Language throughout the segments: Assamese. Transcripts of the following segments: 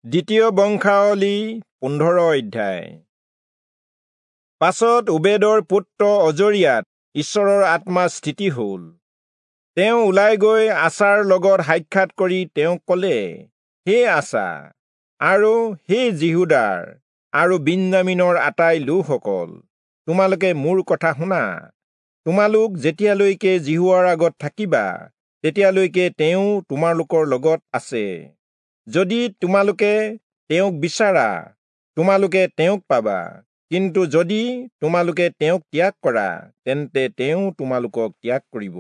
দ্বিতীয় বংশাৱলী 15 অধ্যায়। পাছত ওবেদৰ পুত্ৰ অজৰিয়াত ঈশ্বৰৰ আত্মা স্থিতি হ'ল। তেওঁ ওলাই গৈ আচাৰ লগত সাক্ষাৎ কৰি তেওঁক ক'লে, হে আচা আৰু হে যিহূদাৰ আৰু বিন্যামীনৰ আটাই লোকসকল, তোমালোকে মোৰ কথা শুনা। তোমালোক যেতিয়ালৈকে যিহোৱাৰ আগত থাকিবা, তেতিয়ালৈকে তেওঁ তোমালোকৰ লগত আছে। যদি তোমালোকে তেওঁক বিচাৰা, তোমালোকে তেওঁক পাবা, কিন্তু যদি তোমালোকে তেওঁক ত্যাগ কৰা, তেন্তে তেওঁ তোমালোকক ত্যাগ কৰিব।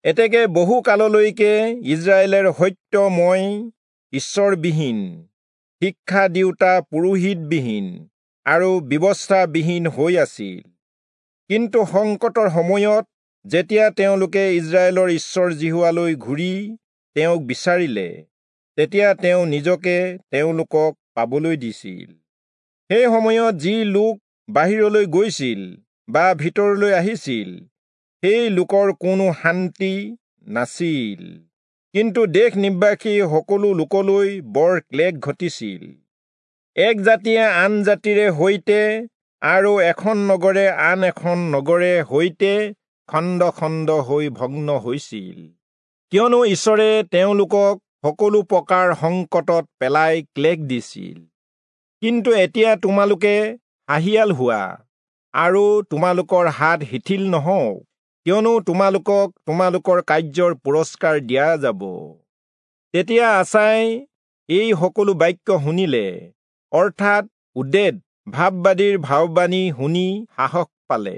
এতেকে বহু কাললৈকে ইজৰাইলৰ সত্যময় ঈশ্বৰবিহীন, শিক্ষা দিওঁতা পুৰোহিতবিহীন আৰু ব্যৱস্থাবিহীন হৈ আছিল। কিন্তু সংকটৰ সময়ত যেতিয়া তেওঁলোকে ইজৰাইলৰ ঈশ্বৰ যিহোৱালৈ ঘূৰি তেওঁক বিচাৰিলে, তেতিয়া তেওঁ নিজকে তেওঁলোকক পাবলৈ দিছিল। সেই সময়ত যি লোক বাহিৰলৈ গৈছিল বা ভিতৰলৈ আহিছিল, সেই লোকৰ কোনো শান্তি নাছিল, কিন্তু দেশ নিবাসী সকলো লোকলৈ বৰ ক্লেশ ঘটিছিল। এক জাতিয়ে আন জাতিৰে সৈতে আৰু এখন নগৰে আন এখন নগৰে সৈতে খণ্ড খণ্ড হৈ ভগ্ন হৈছিল, কিয়নো ঈশ্বৰে তেওঁলোকক সকলো প্ৰকাৰ সংকটত পেলাই ক্লেশ দিছিল। কিন্তু এতিয়া তোমালোকে সাহিয়াল হোৱা আৰু তোমালোকৰ হাত শিথিল নহওক, কিয়নো তোমালোকক তোমালোকৰ কাৰ্যৰ পুৰস্কাৰ দিয়া যাব। তেতিয়া আচাই এই সকলো বাক্য শুনিলে, অৰ্থাৎ ওদেদ ভাববাদীৰ ভাৱবাণী শুনি সাহস পালে।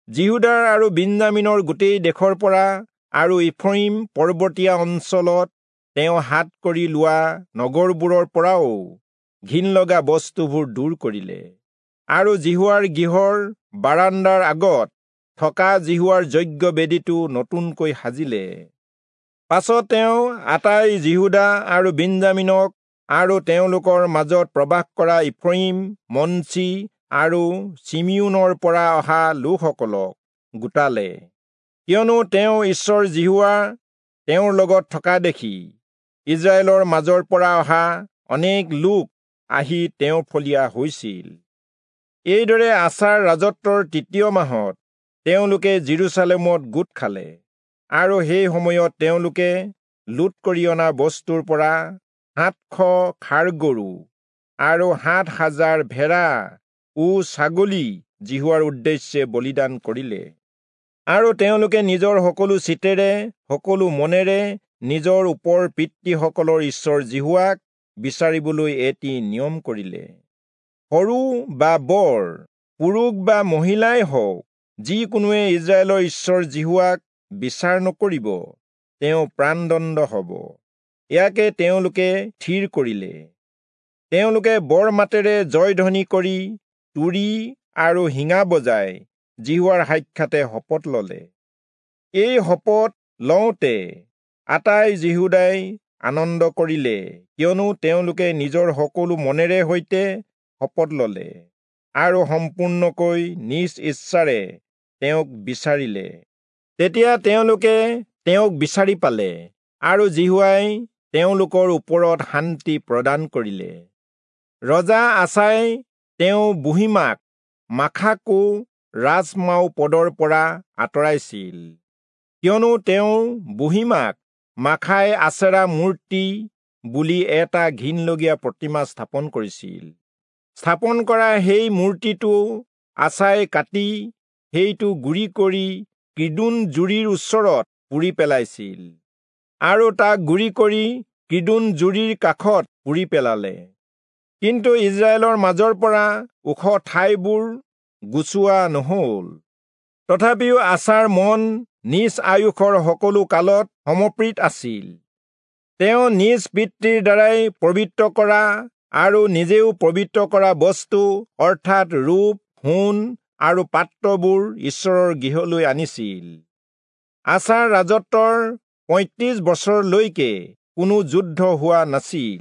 যিহূদাৰ আৰু বিন্যামীনৰ গোটেই দেশৰ পৰা আৰু ইফ্ৰয়িম পৰ্বতীয়া অঞ্চলত তেওঁ হাত কৰি লোৱা নগৰবোৰৰ পৰাও ঘিণ লগা বস্তুবোৰ দূৰ কৰিলে আৰু যিহোৱাৰ গৃহৰ বাৰাণ্ডাৰ আগত থকা যিহোৱাৰ যজ্ঞ বেদীটো নতুনকৈ সাজিলে। পাছত তেওঁ আটাই যিহূদা আৰু বিন্যামীনক আৰু তেওঁলোকৰ মাজত প্ৰবাস কৰা ইফ্ৰয়িম, মনচি আৰু চিমিয়োনৰ পৰা অহা লোকসকলক গোটালে, কিয়নো তেওঁ ঈশ্বৰ যিহোৱা তেওঁৰ লগত থকা দেখি ইজৰাইলৰ মাজৰ পৰা অহা অনেক লোক আহি তেওঁৰ ফলীয়া হৈছিল। এইদৰে আচাৰ ৰাজত্বৰ তৃতীয় মাহত তেওঁলোকে যিৰূচালেমত গোট খালে আৰু সেই সময়ত তেওঁলোকে লুট কৰি অনা বস্তুৰ পৰা 700 ষাঁড় গৰু আৰু 7000 ভেড়া ও ছাগলী যিহোৱাৰ উদ্দেশ্যে বলিদান কৰিলে। আৰু তেওঁলোকে নিজৰ সকলো চিতেৰে সকলো মনেৰে নিজৰ ওপৰ পিতৃসকলৰ ঈশ্বৰ যিহোৱাক বিচাৰিবলৈ এটি নিয়ম কৰিলে। সৰু বা বৰ, পুৰুষ বা মহিলাই হওক, যিকোনোৱে ইজৰাইলৰ ঈশ্বৰ যিহোৱাক বিচাৰ নকৰিব, তেওঁ প্ৰাণদণ্ড হ'ব। ইয়াকে তেওঁলোকে থিৰ কৰিলে। তেওঁলোকে বৰ মাতেৰে জয়ধ্বনি কৰি তুৰী আৰু শিঙা বজাই যিহোৱাৰ সাক্ষাতে শপত ললে। এই শপত লওঁতে আটাই যিহূদাই আনন্দ কৰিলে, কিয়নো তেওঁলোকে নিজৰ সকলো মনেৰে সৈতে শপত ললে আৰু সম্পূৰ্ণকৈ নিজ ইচ্ছাৰে তেওঁক বিচাৰিলে। তেতিয়া তেওঁলোকে তেওঁক বিচাৰি পালে আৰু যিহোৱাই তেওঁলোকৰ ওপৰত শান্তি প্ৰদান কৰিলে। ৰজা আচাই তেওঁ বুঢ়ীমাক মাখাকো ৰাজমাও পদৰ পৰা আঁতৰাইছিল, কিয়নো তেওঁ বুঢ়ীমাক মাখাই আচেৰা মূৰ্তি বুলি এটা ঘিণলগীয়া প্ৰতিমা স্থাপন কৰিছিল। স্থাপন কৰা সেই মূৰ্তিটো আচাই কাটি সেইটো গুৰি কৰি কিদোন জুৰিৰ ওচৰত পুৰি পেলাইছিল আৰু তাক গুৰি কৰি কিদোন জুৰিৰ কাষত পুৰি পেলালে। কিন্তু ইজৰাইলৰ মাজৰ পৰা ওখ ঠাইবোৰ গুচোৱা নহল। তথাপিও আচাৰ মন নিজ আয়ুসৰ সকলো কালত সমৰ্পিত আছিল। তেওঁ নিজ পিতৃৰ দ্বাৰাই পবিত্ৰ কৰা আৰু নিজেও পবিত্ৰ কৰা বস্তু, অৰ্থাৎ ৰূপ, সোণ আৰু পাত্ৰবোৰ ঈশ্বৰৰ গৃহলৈ আনিছিল। আচাৰ ৰাজত্বৰ 35 বছৰলৈকে কোনো যুদ্ধ হোৱা নাছিল।